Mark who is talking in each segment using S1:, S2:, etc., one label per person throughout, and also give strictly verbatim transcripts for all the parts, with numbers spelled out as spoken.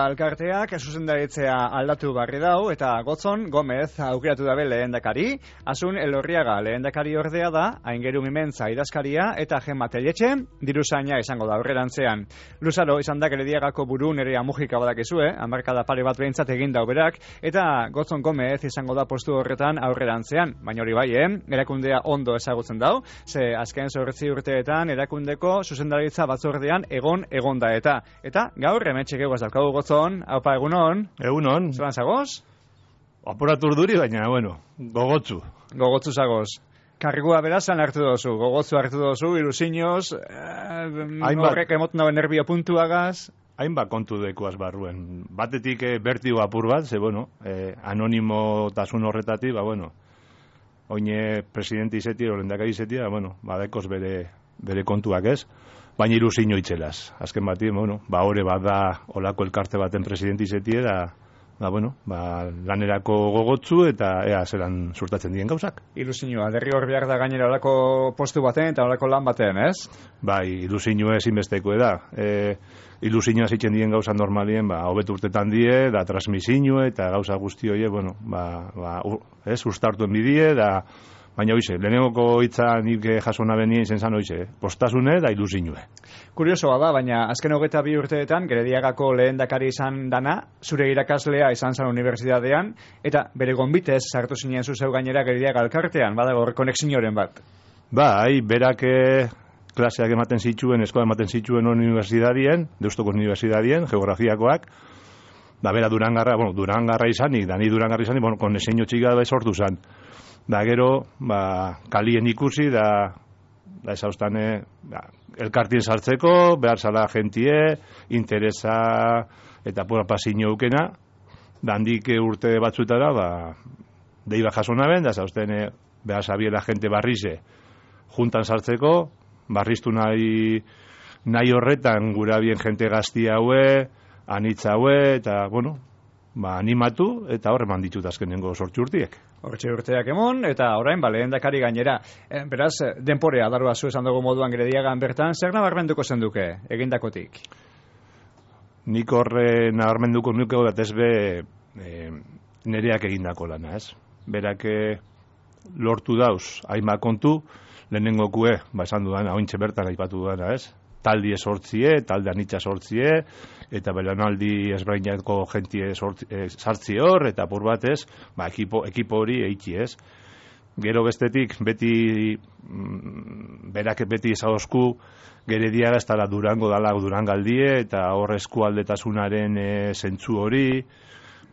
S1: alkarteak zuzendaritzea aldatu barri dau eta Gotzon Gomez aukeratu dabe lehendakari, Asun Elorriaga lehendakari ordea da, Aingeru Mimentza idazkaria eta Gemma Telletxe diruzaina izango da aurrerantzean. Luzaro izan da Gerediagako buru Nerea Mujika badakizue, hamarkada pare bat behintzat egin dau berak, eta Gotzon Gomez izango da postu horretan aurrerantzean, baina hori bai, eh? Erakundea ondo ezagutzen dau, ze azken zortzi urteetan erakundeko zuzendaritza batzordean egon egon da eta. Eta gaur hementxe geguaz daukagu Gotzon, haupa egunon.
S2: Egunon.
S1: Zelan zagoz?
S2: Apuratu urduri, baina, bueno, gogotzu.
S1: Gogotzu zagoz. Kargua berazan hartu dozu, gogotzu hartu dozu, ilusinoz, eh, horrek emoten dauen nervio puntuagaz.
S2: Hainbat kontu dekuaz barruen. Batetik eh, bertigo apur bat, ze, bueno, eh, anonimotasun horretatik, ba, bueno, oine presidente izeti, orendakari izeti, ba, bueno, badekoz bere, bere kontuak ez, baina ilusino itxelaz. Azken bati, bueno, ba, hori bat da olako elkarte baten presidente izeti, da, ba, bueno, ba, lanerako gogotzu eta ea zelan surtatzen dien gauzak.
S1: Ilusioa, derri hor behar da gainera olako postu baten eta olako lan baten, ez?
S2: Bai, ilusioa ezinbesteko da. E, ilusioa zitzen dien gauza normalien, ba, hobet urtetan die, da transmisioa eta gauza guzti horiek, bueno, ba, ba, ez, ustartuen bidie, da, baina hoize, lehenengoko hitza nik jasona benien izen zan hoize, postasune da ilusioa.
S1: Kuriosoa da, baina azken hogeita bi urteetan, Gerediagako lehendakari izan dana, zure irakaslea izan zan unibertsitatean, eta bere gonbitez sartu zinen zuzeu gainera Gerediaga alkartean, badago hor konexioren bat.
S2: Bai, berak klaseak ematen zituen, eskola ematen zituen unibertsitatien, Deustoko unibertsitatien, geografiakoak, da bera Durangarra, bueno, Durangarra izanik, da ni Durangarra izanik, bueno, konexio txika da sortu zan. Da gero, ba, kalien ikusi, da, da ezaustane, ba, elkartien sartzeko, behar zala gentie, interesa eta pura pasiño eukena, da handik urte batzutara, ba, deiba jasona ben, da ezaustane, behar zabiela gente barrize, juntan sartzeko, barriztu nahi, nahi horretan gura bien gente gazti haue, anitza haue, eta, bueno, ba, animatu, eta horre manditut azkenengo sortzi urtiek.
S1: Hortxe urteak emon, eta orain, ba, lehendakari gainera. E, beraz, denporea darua zu esan dugu moduan Gerediagan bertan, zer nabarmenduko zenduke, egindakotik?
S2: Nik horre nabarmenduko nuke bat ez be e, nereak egindako lana, ez? Berak lortu dauz, hainbat kontu, lehenengo kue, ba, esan dudana, ointxe bertan aipatu dudana, ez? Taldi esortzie, talde anitza sortzie, eta belanaldi ezberdinako jentie e, sartzi hor, eta pur batez, ba, ekipo, ekipo hori eiki ez. Gero bestetik, beti, mm, berak beti ezauzku, Gerediaga ez dala Durango dala Durangaldie, eta hor eskualdetasunaren e, zentzu hori,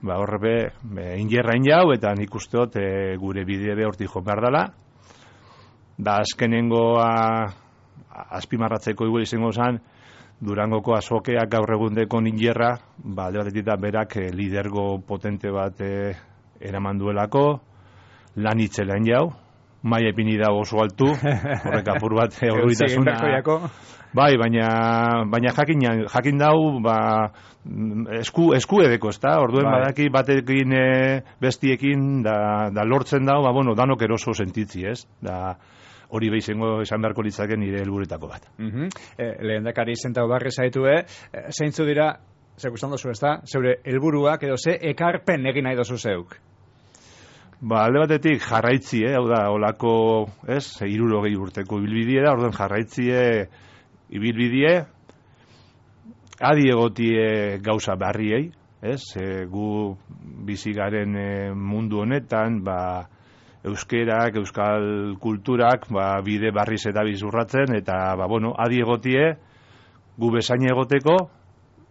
S2: ba, horre be, be ingerra injau, eta nik usteot e, gure bide be horti jo behar dala. Da azkenengoa, azpimarratzeko igual izango zan, Durangoko azokeak gaur egundeko ningerra, ba, alde batetik da berak eh, lidergo potente bat eh, eraman duelako, lan itzelain jau, maia ipini da oso altu, horrek apur bat horruitasuna. Bai, baina, baina jakin, jakin dau, ba, esku, esku edeko, ez da? Orduen bai. Badaki batekin e, bestiekin, da, da lortzen dau, ba, bueno, danok eroso sentitzi, ez? Da, hori behizengo esan beharko litzake nire helburetako bat.
S1: Uh-huh. eh, lehendakari zentau barri zaitue, eh, zeintzu dira, zek usan dozu ez da, zeure helburuak edo ze ekarpen egin nahi dozu zeuk?
S2: Ba, alde batetik jarraitzi, eh, hau da, olako, ez, hirurogei urteko ibilbidie da, orduan jarraitzie ibilbidie, adi egotie gauza barriei, ez, e, gu bizigaren e, mundu honetan, ba, euskerak, euskal kulturak, ba, bide barriz eta bizurratzen, eta, ba, bueno, adi egotie, gu bezain egoteko,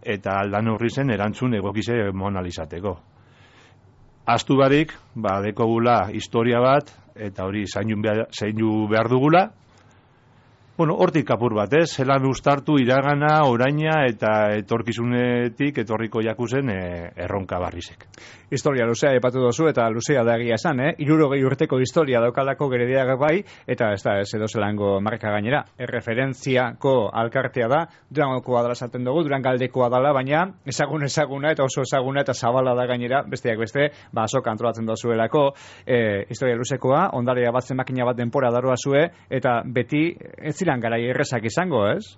S2: eta aldan horri zen erantzun egokize monalizateko. Astu barik, ba, dekogula historia bat, eta hori zainu behar dugula, bueno, hortik kapur bat, ez? Zelan ustartu iragana, oraina eta etorkizunetik etorriko jakuzen e, erronka barrizek.
S1: Historia luzea epatu dozu eta luzea da egia esan, eh? Hirurogei urteko historia daukalako Gerediaga bai, eta ez da ez edo zelango marka gainera. Erreferentziako alkartea da, Durangokoa dela esaten dugu, Durangaldekoa dela, baina ezagun ezaguna eta oso ezaguna eta zabala da gainera, besteak beste, ba azoka antolatzen dozuelako, e, historia luzekoa, ondarea batzen makina bat denpora daroa zue, eta beti ez ziren garai errezak izango, ez?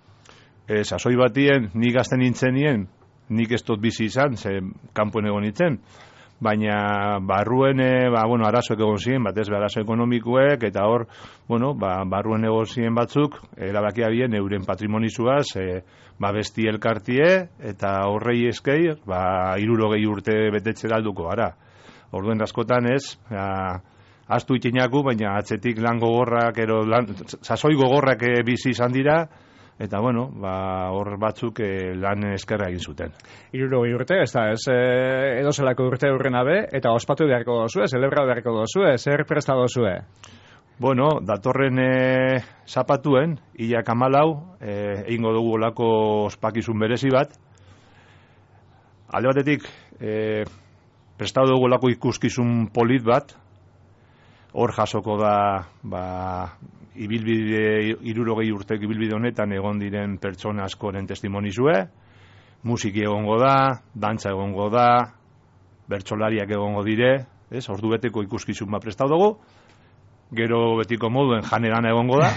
S2: Ez, azoi batien, ni gazten nintzenien, nik ez dut bizi izan, ze kanpoen egon nintzen, baina barruen, e, ba, bueno, arazoek egon ziren, batez be arazo ekonomikoek, eta hor, bueno, ba, barruen egon ziren batzuk, erabakia bien euren patrimonizuaz, e, ba, besti elkartie, eta horrei eskei, ba, hirurogei urte betetze alduko gara. Orduen askotan ez, ba, astu itinaku, baina atzetik lan gogorrak, ero, lan, sasoi gogorrak e, bizi izan dira, eta bueno, ba, hor batzuk e, lan eskerra egin zuten.
S1: Hirurogei urte, ez da, ez e, edo zelako urte urrena be, eta ospatu beharko dozue, zelebra beharko dozue, zer presta dozue?
S2: Bueno, datorren e, zapatuen, hilak amalau, e, egingo dugu olako ospakizun berezi bat. Alde batetik, e, prestatu dugu olako ikuskizun polit bat, hor jasoko da, ba, ibilbide, hirurogei urtek ibilbide honetan egon diren pertsona askoren testimonizue, musiki egongo da, dantza egongo da, bertsolariak egongo dire, ez, ordu beteko ikuskizun bat prestatu dugu, gero betiko moduen janeran egongo da,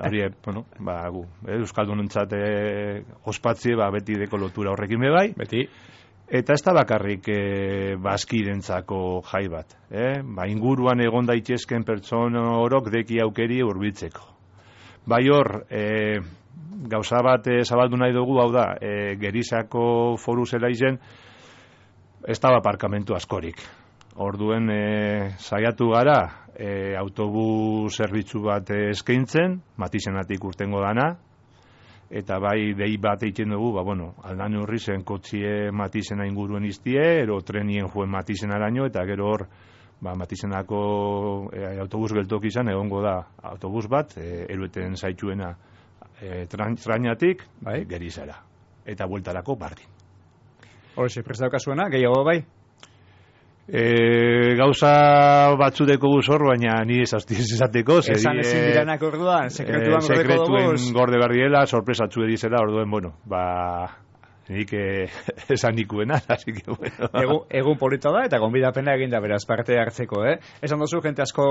S2: hori, bueno, ba, gu, eh, Euskaldunentzat eh, ospatzie, ba, beti deko lotura horrekin be bai,
S1: beti.
S2: Eta ez da bakarrik e, bazkirentzako jai bat. Eh? Ba, inguruan egon daitezken pertsona orok deki aukeri hurbiltzeko. Bai hor, e, gauza bat e, zabaldu nahi dugu, hau da, e, Gerizako foru zela izen, ez da aparkamentu askorik. Orduen e, saiatu gara, e, autobus zerbitzu bat e, eskaintzen, Matizenatik urtengo dana, eta bai dei bat egiten dugu, ba, bueno, aldan horri zen kotxie Matizena inguruen iztie, ero trenien joen Matizenaraino, eta gero hor, ba, Matizenako e, autobus geltoki izan, egongo da autobus bat, e, erueten zaitxuena e, trainatik, bai, Gerizara. Eta bueltarako bardin.
S1: Horixe, prest daukasuena, gehiago bai?
S2: E, gauza batzudeko guzor, baina ni ez esateko.
S1: Esan ezin diranak orduan, sekretuan
S2: e,
S1: gordeko dugu.
S2: Sekretuen gorde berdiela, sorpresatzu edizela, orduen, bueno, ba, nik eh, esan nikuena, así que, bueno.
S1: Egun, egun polita da, eta gonbidapena eginda beraz parte hartzeko, eh? Esan dozu, jente asko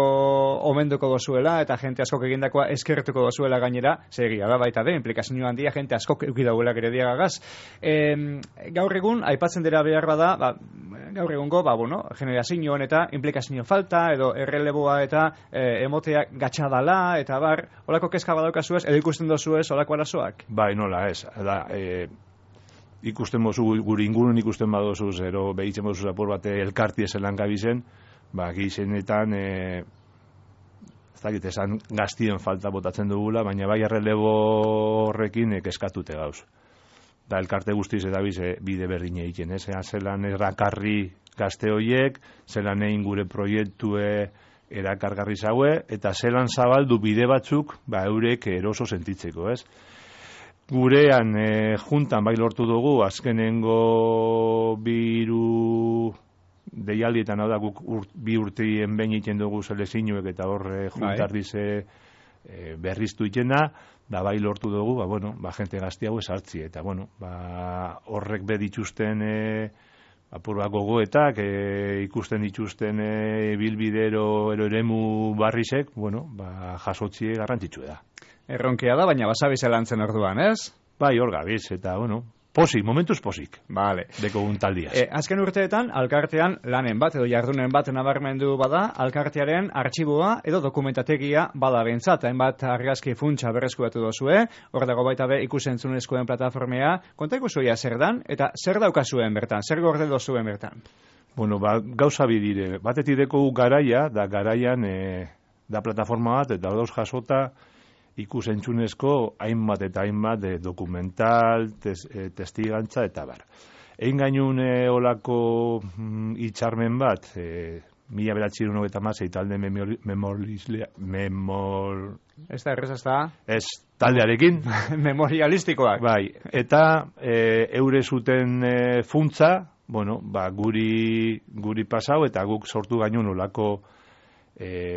S1: omenduko dozuela, eta jente asko egindakoa eskertuko dozuela gainera, segia da baita de, implikazio handia, jente asko eukidauela gere diagagaz. E, gaur egun, aipatzen dira behar bada, ba, gaur egungo, ba, bueno, generazioan eta implikazio falta, edo erreleboa eta e, emotea gatxadala, eta bar, holako kezka badaukazuez, edo ikusten dozuez, holako arazoak?
S2: Bai, nola, ez, da, e, ikusten mozu, gure ingurun ikusten badozu, zero behitzen mozu zapor bate elkarti ezelan gabizen, ba, gizenetan, e, ez dakit, esan gaztien falta botatzen dugula, baina bai errelebo horrekin eskatute gauz. Da, elkarte guztiz eta bize, bide berdin egiten, ez? Zelan erakarri gazte horiek, zelan egin gure proiektue erakargarri zaue, eta zelan zabaldu bide batzuk, ba, eurek eroso sentitzeko, ez? Gurean e, juntan bai lortu dugu, azkenengo biru deialdietan, hau da, guk ur, bi urteien behin egiten dugu selezinuek, eta horre juntardize e, berriztu itena, da bai lortu dugu, ba, bueno, ba, jente gazti hau esartzi, eta, bueno, ba, horrek be dituzten e, apurba gogoetak, e, ikusten dituzten e, bilbidero ero eremu barrizek, bueno, ba, jasotzie garrantzitsu da.
S1: Erronkea da, baina basabiz elantzen orduan, ez?
S2: Bai, hor gabiz, eta, bueno, posik, momentuz posik.
S1: Vale.
S2: Deko untaldiaz.
S1: E, azken urteetan, alkartean lanen bat, edo jardunen bat nabarmendu bada, alkartearen artxiboa edo dokumentategia bada bentsat, hainbat argazki funtsa berreskuratu dozue, hor dago baita be ikusentzunezkoen plataformea, konta ikusuia zer dan, eta zer daukazuen bertan, zer gorde dozuen bertan?
S2: Bueno, ba, gauza bidire, batetik deko garaia, da garaian, e, da plataforma bat, eta dauz jasota, ikusentzunezko hainbat eta hainbat de dokumental, tes, e, testigantza eta bar. Egin gainun e, olako mm, itxarmen bat, e, mila beratxirun hogeta mazei talde memorialislia, memor...
S1: Ez da, errez, ez da?
S2: Ez, taldearekin.
S1: Memorialistikoak.
S2: Bai, eta e, eure zuten e, funtza, bueno, ba, guri, guri pasau, eta guk sortu gainun olako e,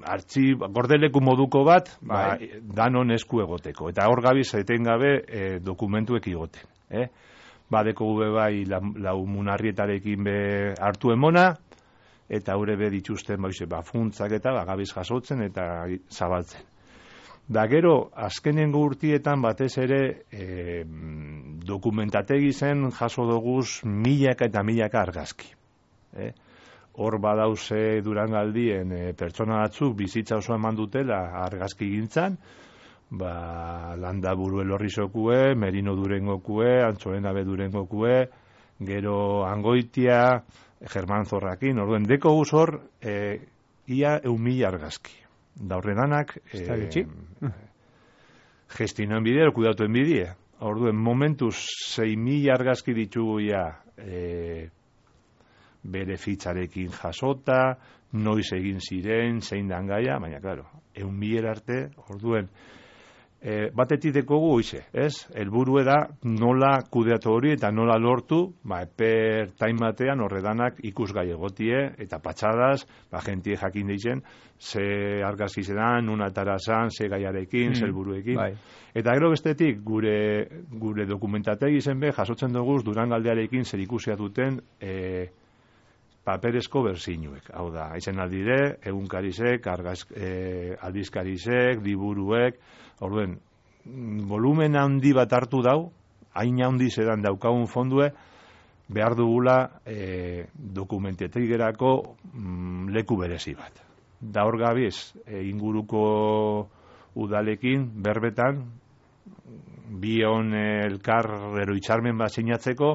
S2: artxib, gordeleku moduko bat, ba, bai, danon esku egoteko. Eta hor gabiz etengabe e, dokumentuek egoten. Eh? Badeko gube bai la, lau munarrietarekin be hartu emona, eta haure be dituzten ba, ba, funtzak eta ba, gabiz jasotzen eta zabaltzen. Da gero, azkenengo urtietan batez ere e, dokumentategi zen jaso doguz milaka eta milaka argazki. Eh? Hor badauze Durangaldien e, pertsona batzuk bizitza oso eman dutela argazki gintzan, ba, Landaburu Elorrizokue, Merino Durengokue, Antxolenabe Durengokue, gero Angoitia, Germán Zorrakin, orduen deko guz hor, e, ia eun mila argazki. Da horredanak, e, gestioen bidea, kudatuen bidea. Orduen, momentuz, sei mila argazki ditugu ja, e, bere fitzarekin jasota, noiz egin ziren, zein dan gaia, baina, klaro, eun mila arte, orduen, e, batetik dekogu hoize, ez? Helburua da nola kudeatu hori eta nola lortu, ba, eper time batean horredanak ikusgai egotie, eta patxadas, ba, jentie jakin deitzen, ze argazki zedan, nuna tarazan, ze gaiarekin, mm, ze helburuekin. Bai. Eta gero bestetik, gure, gure dokumentategi zen be, jasotzen dugu Durangaldearekin zer ikusia duten e, paperezko berzinuek. Hau da, izen aldire, egunkarizek, argaz, e, aldizkarizek, liburuek, orduen, volumen handi bat hartu dau, hain handi zedan daukagun fondue, behar dugula e, dokumentetegerako mm, leku berezi bat. Da hor gabiz, e, inguruko udalekin, berbetan, bion elkar eroitxarmen bat sinatzeko,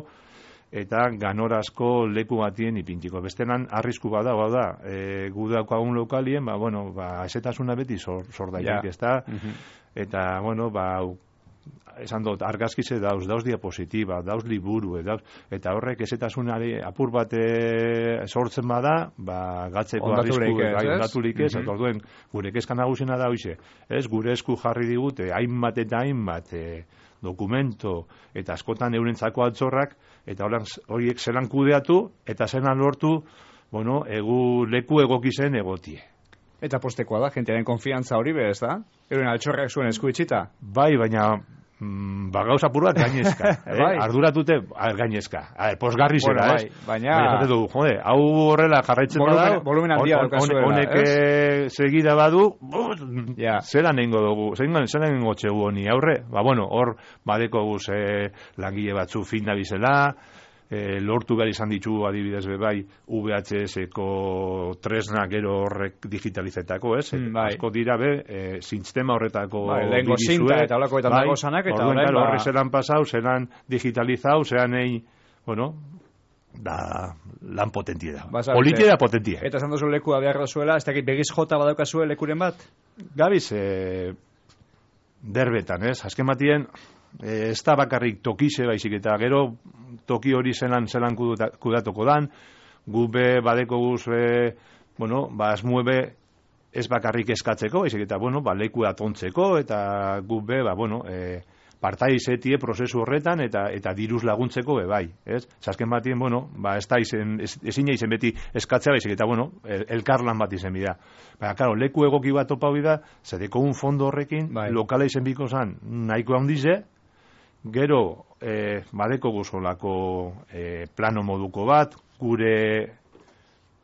S2: eta ganorazko leku batien ipintiko. Bestenan, arrisku bada, bada, e, gudaukagun lokalien, ba, bueno, ba, esetasuna beti sor, sor daik, ez da, uh-huh. Eta, bueno, ba, esan dut, argazkize dauz, dauz diapositiba, dauz liburu, dauz, eta horrek esetasunari apur bat sortzen bada, ba, gatzeko arrisku, bai, ondaturik ez, eta orduen, gure kezka nagusena da hoize, ez, gure esku jarri digute, hainbat eta hainbat, e, dokumento, eta askotan eurentzako altzorrak, eta horiek zelan kudeatu, eta zelan lortu, bueno, egu leku egokizen egotie.
S1: Eta postekoa da, jentearen konfiantza hori bez da? Euren altxorrak zuen esku itxita?
S2: Bai, baina mm, ba gauza puru bat gainezka. eh? bai. Arduratute gainezka. A, posgarri zera, bueno, bai,
S1: ez? Baina...
S2: baina du, jode, hau horrela jarraitzen
S1: volumen,
S2: bada...
S1: Volumen handia on, on,
S2: on, Honek eh? segida badu,
S1: ja.
S2: Zera nengo dugu, zera nengo txegu honi aurre. Ba, bueno, hor badeko guz eh, langile batzu fin da bizela, E, lortu behar izan ditugu adibidez bebai V H S-eko tresna gero horrek digitalizetako, ez? Mm, bai. Asko dira be, e, sistema horretako
S1: bai, lehenko zinta eta holakoetan bai, dago zanak, eta
S2: horren ba... horre zelan pasau, zelan digitalizau, zelan egin, bueno, da lan potentie da. Politia da potentie.
S1: Eta esan dozu lekua behar dozuela, ez dakit begiz jota badaukazue lekuren bat?
S2: Gabiz, e, derbetan, ez? Azken batien, e, ez da bakarrik tokize baizik, eta gero toki hori zelan zelan kudatuko dan, gube badeko guz, e, bueno, ba, asmuebe ez bakarrik eskatzeko, baizik, eta, bueno, ba, leku atontzeko, eta gube, ba, bueno, e, partai izetie prozesu horretan, eta eta diruz laguntzeko be bai, ez? Zasken batien, bueno, ba, ez da izen, ez, ezin izen beti eskatzea baizik, eta, bueno, el, elkarlan bat izen bida. Baina, claro, leku egoki bat topa bida, zedeko un fondo horrekin, bai. Lokala izen biko zan, nahiko handize, gero, e, badeko guzolako e, plano moduko bat, gure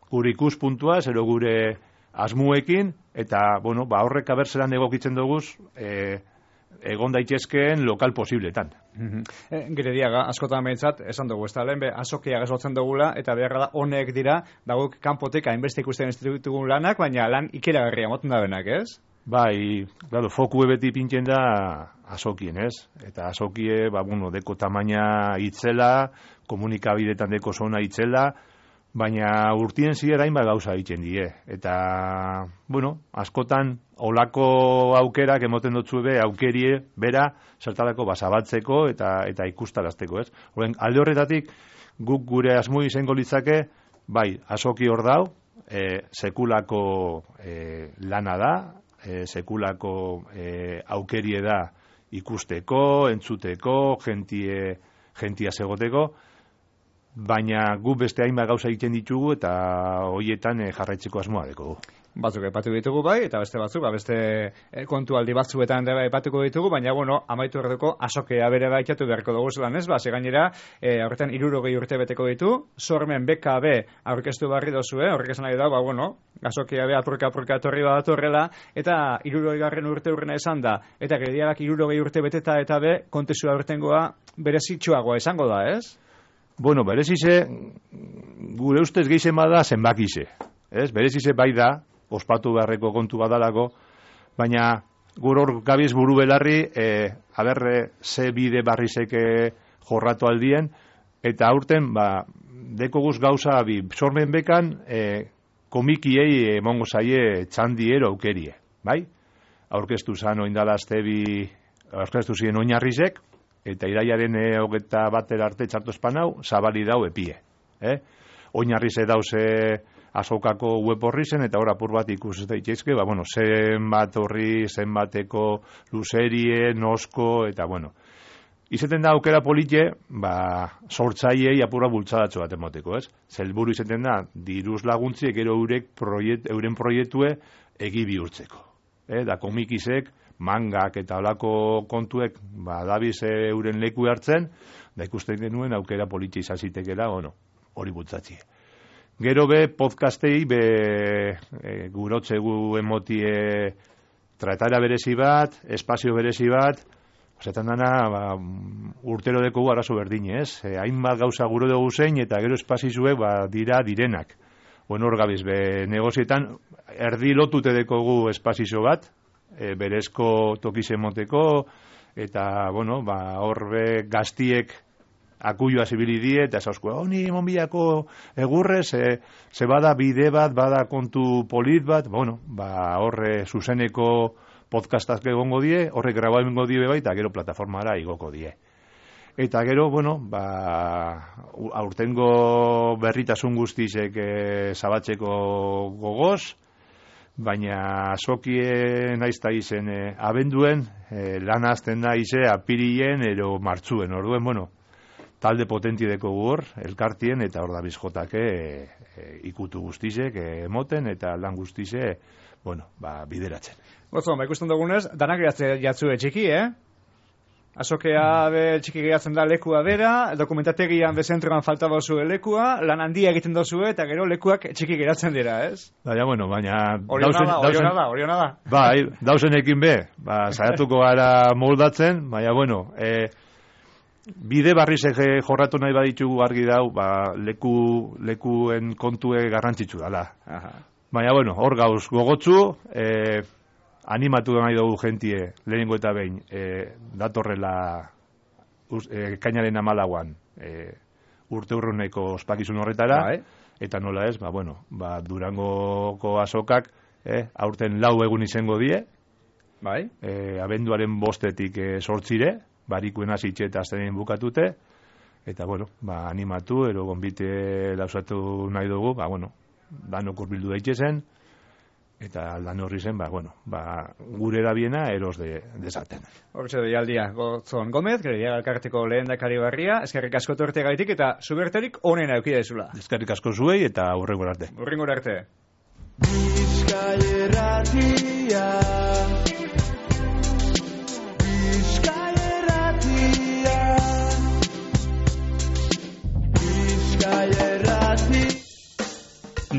S2: gure ikuspuntua, zero gure asmuekin, eta, bueno, ba, horrek abertzelan egokitzen duguz, e, egon daitezkeen lokal posibletan.
S1: Mm-hmm. E, gire diaga, askotan behintzat, esan dugu, ez da, lehen be, azokia gazotzen dugula, eta beharra da, honek dira, dagok kanpotek hainbeste ikusten institutugun lanak, baina lan ikeragarria moten da benak, ez?
S2: Bai, claro, foku beti pintzen da azokien, ez? Eta azokie, ba, bueno, deko tamaina itzela, komunikabidetan deko zona itzela, baina urtien ziera hainbat gauza egiten die. Eta, bueno, askotan, olako aukerak emoten dutzu be, aukerie, bera, zertarako basabatzeko eta eta ikustarazteko, ez? Horren, alde horretatik, guk gure asmui izango litzake, bai, azoki hor dau, e, sekulako e, lana da, e, sekulako e, aukerie da ikusteko, entzuteko, jentie, jentia segoteko, baina gu beste hainbat gauza egiten ditugu eta hoietan e, jarraitzeko asmoa dekogu.
S1: batzuk aipatu ditugu bai, eta beste batzuk, ba, beste eh, kontualdi batzuetan dela aipatuko ditugu, baina, bueno, amaitu erdeko azokea bere baitatu beharko dugu zelan ez, ba, gainera, e, horretan hirurogei urte beteko ditu, sormen B K B aurkeztu barri dozue, horrek esan nahi da, ba, bueno, azokea be apurka-apurka etorri bat horrela, eta hirurogei garren urte urrena esan da, eta gediarak hirurogei urte beteta eta be, kontesua urtengoa berezitxoagoa esango da, ez?
S2: Bueno, berezize, gure ustez gehizen bada zenbakize, ez? Berezize bai da, ospatu beharreko kontu badalako, baina gure hor gabiz buru belarri, e, haberre, ze bide barrizeke jorratu aldien, eta aurten, ba, deko guz gauza, bi, sormen bekan, e, komikiei emongo zaie txandiero aukerie, bai? Aurkeztu zan oindala aztebi, aurkeztu ziren oinarrizek, eta iraiaren e, hogeta batera arte txartu espanau, zabali dau epie, eh? Oinarrize dauze azokako web horri zen, eta hor apur bat ikus daitezke, ba, bueno, zenbat horri, zenbateko luzerie, nosko, eta, bueno, izeten da aukera polite, ba, sortzaiei apura bultzadatxo bat emoteko, ez? Zelburu izeten da, diruz laguntziek ero eurek proiet, euren proiektue egi bihurtzeko. Eh? Da komikizek, mangak eta olako kontuek, ba, dabiz euren leku hartzen, da ikusten denuen aukera polite izazitekela, bueno, hori bultzatzie. Gero be, podcastei, be, e, gurotzegu emotie tratara berezi bat, espazio berezi bat, osetan dana, ba, urtero dekogu arazo berdin, ez? E, hainbat gauza guro dugu zein, eta gero espazizuek, ba, dira direnak. Bueno, hor gabiz, be, negozietan, erdi lotute dekogu espazizo bat, e, berezko tokiz emoteko, eta, bueno, ba, hor be, gaztiek, akuioa zibili die, eta zauzko, honi oh, monbiako egurre, ze, ze bada bide bat, bada kontu polit bat, bueno, ba, horre zuzeneko podcastak egongo die, horrek grababengo die bai, eta gero plataformara igoko die. Eta gero, bueno, ba, aurtengo berritasun guztizek e, zabatzeko gogoz, baina azokie naizta izen e, abenduen, e, lan azten da ize apirilien ero martzuen, orduen, bueno, talde potentideko hor, elkartien, eta hor da bizjotake e, e, ikutu guztizek, e, emoten, eta lan guztize, bueno, ba, bideratzen.
S1: Gotzon, ba, ikusten dugunez, danak jatzu txiki, eh? Azokea be txiki gehiatzen da lekua bera, dokumentategian bezentroan falta bozu lekua, lan handia egiten dozu eta gero lekuak txiki geratzen dira, ez?
S2: Baina, bueno, baina...
S1: Oriona da, oriona da, oriona da.
S2: Bai, dauzenekin be, ba, saiatuko gara moldatzen, baina, bueno, e, bide barrizek jorratu nahi baditugu argi dau, ba, leku, lekuen kontue garrantzitsu dala. Aha. Baina, bueno, hor gauz gogotzu, e, animatu nahi dugu jentie, lehenengo eta behin, e, datorrela e, kainaren amalaguan e, urte urruneko ospakizun horretara, bai. Eta nola ez, ba, bueno, ba, Durangoko azokak, e, aurten lau egun izango die, bai. E, abenduaren bostetik e, sortzire, barikuen hasitxe eta aztenein bukatute, eta, bueno, ba, animatu, ero gonbite lausatu nahi dugu, ba, bueno, danok urbildu daitezen, eta aldan horri zen, ba, bueno, ba, gure erabiena eros de, desaten.
S1: Hortxe deialdia, Gotzon Gomez, Gredia Elkarteko lehendakari barria, eskerrik asko torte gaitik, eta zuberterik onena eukide zula.
S2: Eskerrik asko zuei, eta hurrengo arte.
S1: Hurrengo arte.
S3: Bizkaia erratia